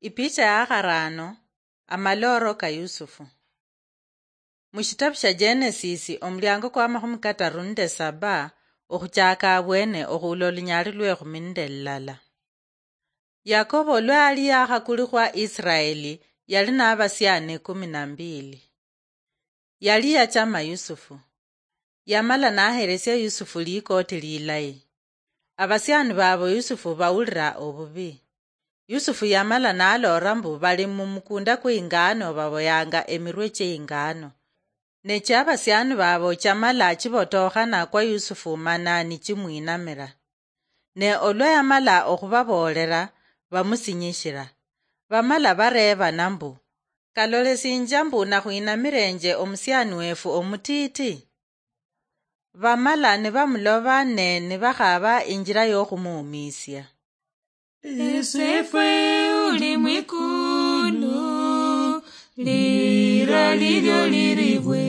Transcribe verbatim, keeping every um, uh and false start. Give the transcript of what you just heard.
Ipicha ya kharano. Amalooro ka Yusufu. Mu shitabu sha Genesis, omulyango kwa makhumi kataru nende saba, okhuchaka abwene okhuula olunyali lwekhumi nende lulala. Yakobo lwa yali yakhakulikhwa Israeli, yali nabasiani kumi na mbili. Yali yachama Yusufu. Yamala naheresia Yusufu likoti lilayi. Abasiani babo Yusufu bawulira obubi. Yusufu yamala naloora mbu bali mumukunda kweingano baboyanga emirwe chieingano. Ne chiabasiani babo chamala chibotokhana kwa Yusufu mana nichimwinamira. Ne olwa yamala okhubaboolera, bamusinyishira. Bamala bareebana mbu, "Kalolesinjia mbu nakhwinamirenje omusiani wefu omutiiti?" Bamala nibamuloba ne nibakhaba injira yokhumuumisia. Esefwe uli mwikulu, lira lilio liribwe.